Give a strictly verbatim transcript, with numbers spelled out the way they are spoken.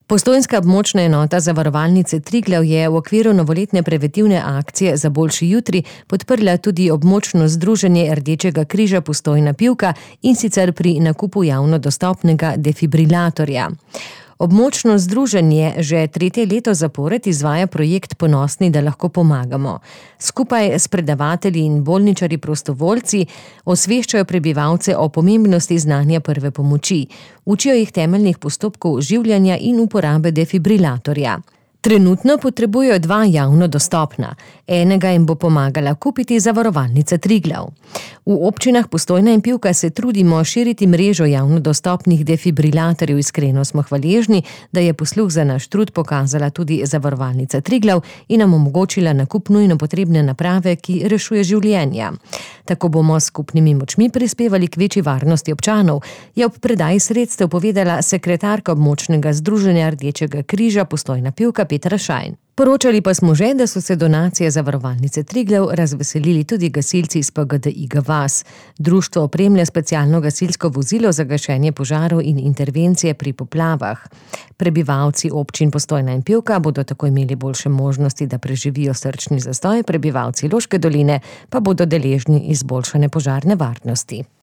Postojnska območna enota Zavarovalnice Triglav je v okviru novoletne preventivne akcije Za boljši jutri podprla tudi območno združenje Rdečega križa Postojna Pivka, in sicer pri nakupu javno dostopnega defibrilatorja. Območno združenje že tretje leto zapored izvaja projekt Ponosni, da lahko pomagamo. Skupaj s predavatelji in bolničarji prostovoljci osveščajo prebivalce o pomembnosti znanja prve pomoči. Učijo jih temeljnih postopkov življenja in uporabe defibrilatorja. Trenutno potrebujejo dva javno dostopna. Enega jim bo pomagala kupiti Zavarovalnica Triglav. V občinah Postojna in Pivka se trudimo širiti mrežo javno dostopnih defibrilatorjev. Iskreno smo hvaležni, da je posluh za naš trud pokazala tudi Zavarovalnica Triglav in nam omogočila nakup nujno potrebne naprave, ki rešuje življenja. Tako bomo s skupnimi močmi prispevali k večji varnosti občanov, je ob predaji sredstev povedala sekretarka območnega združenja Rdečega križa Postojna Pivka Petra Šajn. Poročali pa smo že, da so se donacije Zavarovalnice Triglav razveselili tudi gasilci iz P G D Iga Vas. Društvo opremlja specialno gasilsko vozilo za gašenje požarov in intervencije pri poplavah. Prebivalci občin Postojna in Pivka bodo tako imeli boljše možnosti, da preživijo srčni zastoj, prebivalci Loške doline pa bodo deležni izboljšane požarne varnosti.